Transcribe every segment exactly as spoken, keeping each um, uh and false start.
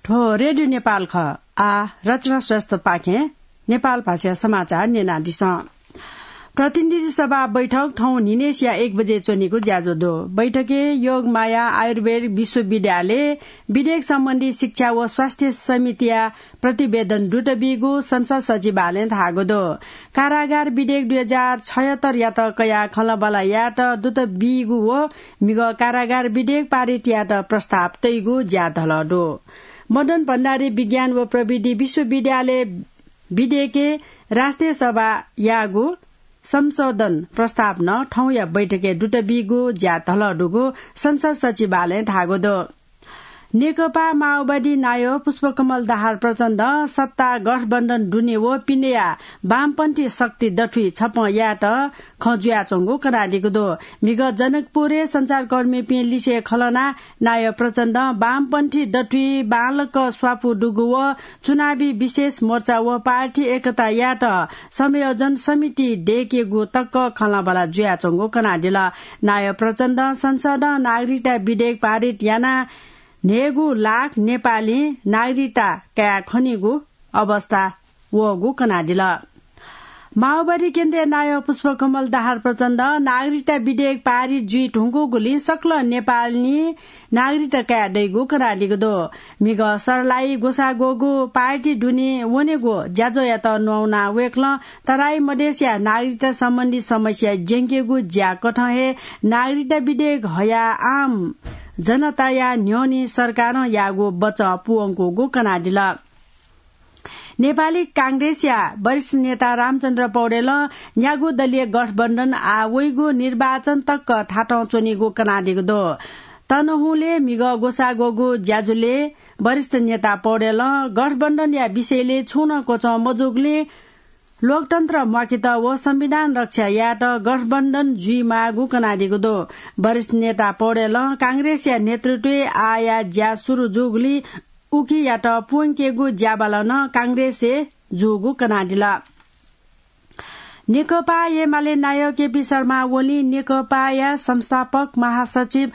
थ्व रेडियो नेपाल खः। आ, रचना श्रेष्ठ पाखें नेपाल भाषा समाचार न्यनादिसँ। प्रतिनिधि सभा बैठक थौं न्हिनेसिया एक बजे च्वनीगु ज्याझ्वः दु। बैठकय् योगमाया आयुर्वेद विश्वविद्यालय विधेयक सम्बन्धी शिक्षा व स्वास्थ्य समितिया प्रतिवेदन दुत बीगु संसद सचिवालयं धाःगु दु। कारागार विधेयक दुई हजार छयत्तरयात कयाः खँल्हाबल्हा यायेत दुत बीगु व म्हिगः कारागार विधेयक पारित यायेत प्रस्ताव तइगु ज्याझ्वलय् दु। मदन भण्डारी विज्ञान व प्रविधि विश्वविद्यालय विधेयकय् राष्ट्रिय सभायागु संशोधन प्रस्ताव नं थौंया बैठकय् दुत बीगु ज्याझ्वलय् दुगु संसद सचिवालयं धाःगु दु। नेकपा माओवादी नायः पुष्पकमल दाहाल प्रचण्डं सत्ता गठबन्धन दुने व पिनेया वामपन्थी शक्ति दथुइ छप्पँ यायेत खँ जुयाच्वंगु कनादीगु दु। म्हिगः जनकपुरय् सञ्चारकर्मीपिं लिसे खँ ल्हानाः नायः प्रचण्डं वामपन्थी दथुइ बांलाक स्वापू दुगु व चुनावी विशेष मोर्चा व पार्टी एकता यायेत समायोजन समिति दयेकेगु तक खँल्हाबल्हा जुयाच्वंगु कनादिल। नायः प्रचण्डं संसदं नागरिकता विधेयक पारित यानाः न्हय्गू लाख नेपालीं नागरिकता काये खनीगु अवस्था वःगु कनादिल। माओवादी केन्द्रीय नायः पुष्पकमल दाहाल प्रचण्डं नागरिकता विधेयक पारित जुइ धुंकूगुलिं सकल नेपालीं नागरिकता काये दइगु कनादीगु दु। म्हिगः सर्लाही ग्वसाः ग्वःगु पार्टी दुने वनेगु ज्याझ्वःयात न्ववानाः वय्कलं तराई मधेसया नागरिकता सम्बन्धी समस्या ज्यंकेगु ज्याकथं हे नागरिकता विधेयक हयाः आम जनताया न्ह्यःने सरकारं याःगु बचं पूवंकूगु कनादिल। नेपाली कांग्रेसया वरिष्ठ नेता रामचन्द्र पौडेलं न्यागू दलीय गठबन्धन आः वइगु निर्वाचन तक थातं च्वनीगु कनादीगु दु। तनहुँलय् म्हिगः ग्वसाः ग्वःगु ज्याझ्वलय् वरिष्ठ नेता पौडेलं गठबन्धनया विषयलय् छुं नं क्वचं मजूगुलिं लोकतन्त्र म्वाकेत व संविधान रक्षा यायेत गठबन्धन जुइमाःगु कनादीगु दु। वरिष्ठ नेता पौडेलं कांग्रेसया नेतृत्वय् आःया ज्या सुरु जूगुलिं उकियात पूवंकेगु ज्याबालं नं कांग्रेसय् जूगु कनादिल। नेकपा एमाले नायः केपी शर्मा ओलीं नेकपाया संस्थापक महासचिव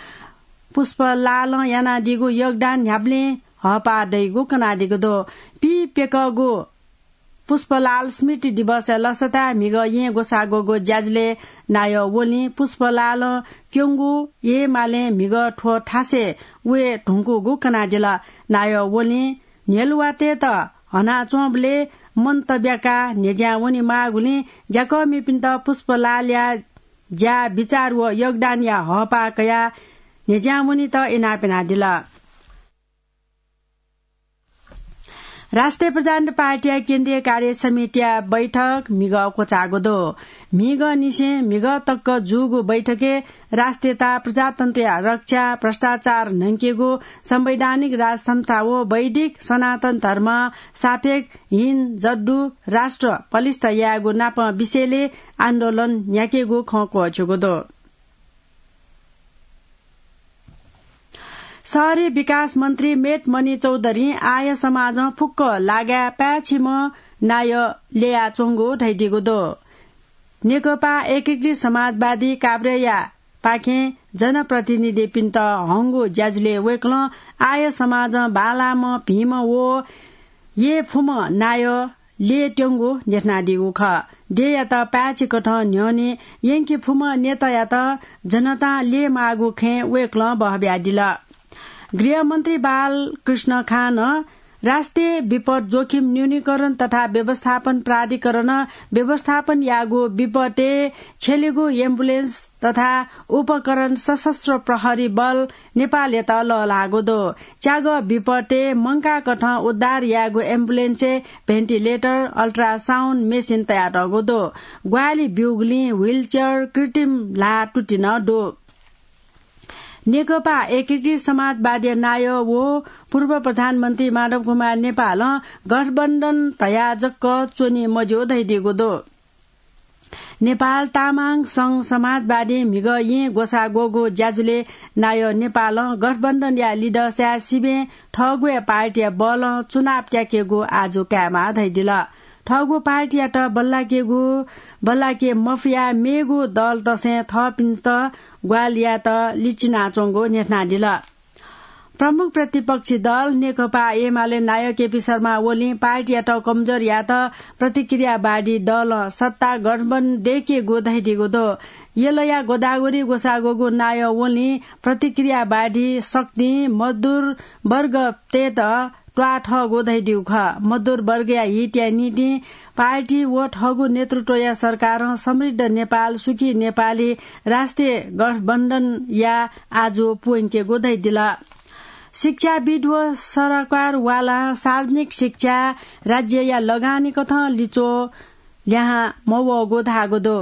पुष्पलालं यानादीगु योगदान न्ह्याबलें हःपाः दइगु कनादीगु दु। पीप्यकःगु पुष्पलाल स्मृति दिवसया लसताय् म्हिगः येँ ग्वसाः ग्वःगु ज्याझ्वलय् नायः ओलीं पुष्पलालं क्यंगु एमालें म्हिगः थ्व थासय् वये धुंकूगु कनादिल। नायः ओलीं न्ह्यलुवातय्त हनाच्वंबलय् मन तब्याकाः न्ह्यज्यां वनेमाःगुलिं ज्याकःमिपिन्त पुष्पलालया ज्या, विचार व योगदानया हःपाः कयाः न्ह्यज्यां वनेत इनाप यानादिल। राष्ट्रिय प्रजातन्त्र पार्टीया केन्द्रीय कार्य समितिया बैठक म्हिगः क्वचाःगु दु। म्हिगःनिसें म्हिगः तक जूगु बैठकय् राष्ट्रियता, प्रजातन्त्रया रक्षा, भ्रष्टाचार न्हंकेगु, संवैधानिक राजसंस्था व वैदिक सनातन धर्म सापेक्ष हिन जद्दु राष्ट्र पलिस्था यायेगु नापं विषयलय् आन्दोलन न्ह्याकेगु खँ क्वःछ्यूगु दु। शहरी विकास मन्त्री मेटमणि चौधरीं आर्य समाजं फुक्क लागाय् पाय्‌छिम्ह नायः ल्ययाच्वंगु धयादीगु दु। नेकपा एकीकृत समाजवादी काभ्रेया पाखें जनप्रतिनिधिपिन्त हंगु ज्याझ्वलय् वय्कलं आर्य समाजं बांलाःम्ह, भिंम्ह व यय् फुम्ह नायः ल्ययेत्यंगु न्ह्यथनादीगु खः। देय्‌यात पाय्‌छिकथं न्ह्यःने यंके फुम्ह नेतायात जनतां ल्ययेमाःगु खँय् वय्कलं बहःबियादिल। गृहमन्त्री बालकृष्ण खानं राष्ट्रिय विपद जोखिम न्यूनीकरण तथा व्यवस्थापन प्राधिकरणं व्यवस्थापन याःगु विपदय् छ्यलेगु एम्बुलेन्स तथा उपकरण सशस्त्र प्रहरी बल नेपालयात लःल्हाःगु दु। च्यागः विपदय् मंकाःकथं उद्धार याःगु एम्बुलेन्सय् भेन्टिलेटर, अल्ट्रासाउन्ड मेसिन तयातःगु दु। ग्वाहालि ब्यूगुलिं ह्विलचेयर, कृत्रिम ल्हाः तुति नं दु। नेकपा एकीकृत समाजवादीया नायः व पूर्व प्रधानमन्त्री माधव कुमार नेपालं गठबन्धन धयाः जक च्वने मज्यू धयादीगु दु। नेपाल तामाङ संघ समाजवादीं म्हिगः येँ ग्वसाः ग्वःगु ज्याझ्वलय् नायः नेपालं गठबन्धनया लिधंसाय् सिबें थःगु हे पार्टीया बलं चुनाव त्याकेगु आजु कायेमाः धयादिल। थःगु पार्टीयात बल्लाकेगु, बल्लाके मफयाः मेगु दलतसें थःपिन्त ग्वाहालि यायेत लिचिनाच्वंगु न्ह्यथनादिल। प्रमुख प्रतिपक्षी दल नेकपा एमाले नायः केपी शर्मा ओलीं पार्टीयात कमजोर यायेत प्रतिक्रियावादी दलं सत्ता गठबन्धन दय्केगु धयादीगु दु। यलया गोदावरी ग्वसाः ग्वःगु नायः ओलीं प्रतिक्रियावादी शक्तिं मजदुर वर्गतय्त त्वाः थःगु धयादीगु खः। मजदुर वर्गया हितया निंतिं पार्टी व थःगु नेतृत्वया सरकारं समृद्ध नेपाल, सुखी नेपाली राष्ट्रिय गठबन्धनया आजु पूवंकेगु धयादिल। शिक्षाविद् व सरकारवालां सार्वजनिक शिक्षा राज्यया लगानीकथं लिच्वः ल्याहां मवःगु धाःगु दु।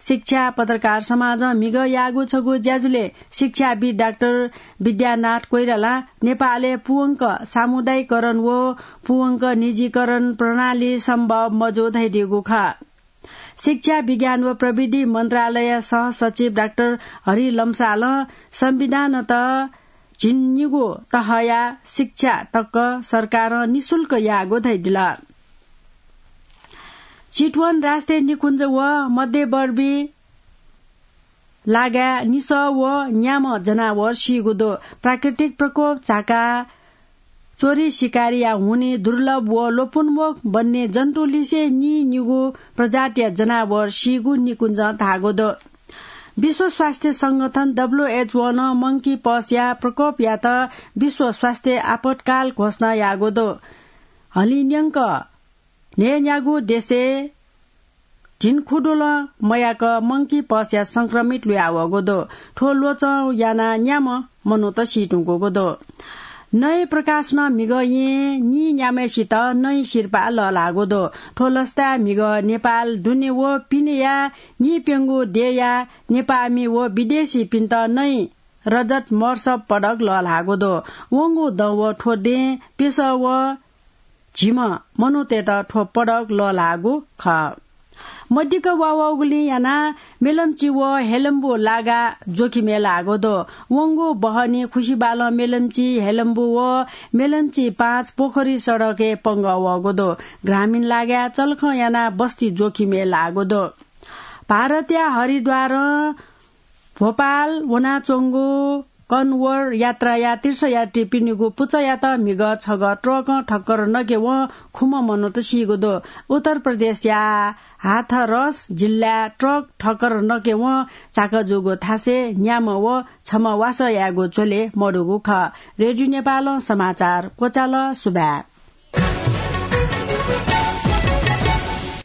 शिक्षा पत्रकार समाजं म्हिगः याःगु छगू ज्याझ्वलय् शिक्षाविद् डाक्टर विद्यानाथ कोइरालां नेपालय् पूवंक सामुदायिकरण व पूवंक निजीकरण प्रणाली सम्भव मजू धयादीगु खः। शिक्षा, विज्ञान व प्रविधि मन्त्रालय सहसचिव डाक्टर हरि लम्सालं संविधानत झिंनिगू तहया शिक्षा तक सरकारं निशुल्क याःगु धयादिल। चितवन राष्ट्रिय निकुञ्ज व मध्यवर्ती लागाय् निसः व न्याम्ह जनावर सीगु दु। प्राकृतिक प्रकोप झाका चोरी शिकारीया हुनिं दुर्लभ व लोपोन्मुख वन्यजन्तुलिसे नीनिगू प्रजातिया जनावर सीगु निकुञ्जं धाःगु दु। विश्व स्वास्थ्य संगठन, डब्ल्यूएचओ, नं मंकी पक्सया प्रकोपयात विश्व स्वास्थ्य आपतकाल घोषणा याःगु दु। हलिंन्यंक न्हय्न्यागू देशय् झिंखुदुलं मयाक मंकी पक्सया संक्रमित लुयावःगु दु। थ्व ल्वचं यानाः न्याम्ह मनूत सीधुंकूगु दु। नँय् प्रकाशनं म्हिगः येँय् नीन्याम्हय्सित नँय् सिरपाः लःल्हाःगु दु। थ्व लसताय् म्हिगः नेपाल दुने व पिनेया नीप्यंगू देय्या नेपाःमि व विदेशीपिन्त नँय् रजत महोत्सव पदक लःल्हाःगु दु। वंगु दँ व थ्व दँय् प्यसः व झिम्ह मनूतय्त थ्व पदक लःल्हाःगु खः। मदिक्क वाःवःगुलिं यानाः मेलम्ची व हेलम्बु लागा जोखिमय् लाःगु दु। वंगु बहनी खुसिबालं मेलम्ची, हेलम्बु व मेलम्ची पाँच पोखरी सडकय् पंगः वःगु दु। ग्रामीण लागाय् चलखं यानाः बस्ती जोखिमय् लाःगु दु। भारतया हरिद्वारं भोपाल वनाच्वंगु कन्वर यात्राया तीर्थयात्रीपिनिगु पुचःयात म्हिगः छगः ट्रकं ठक्कर नकेवं खुम्ह मनूत सीगु दु। उत्तर प्रदेशया हाथरस जिल्लाय् ट्रक ठक्कर नकेवं झाका जूगु थासय् न्याम्ह व छम्ह वासः यायेगु झ्वलय् मदुगु खः। रेडियो नेपालं समाचार क्वचाल। सुभाय्।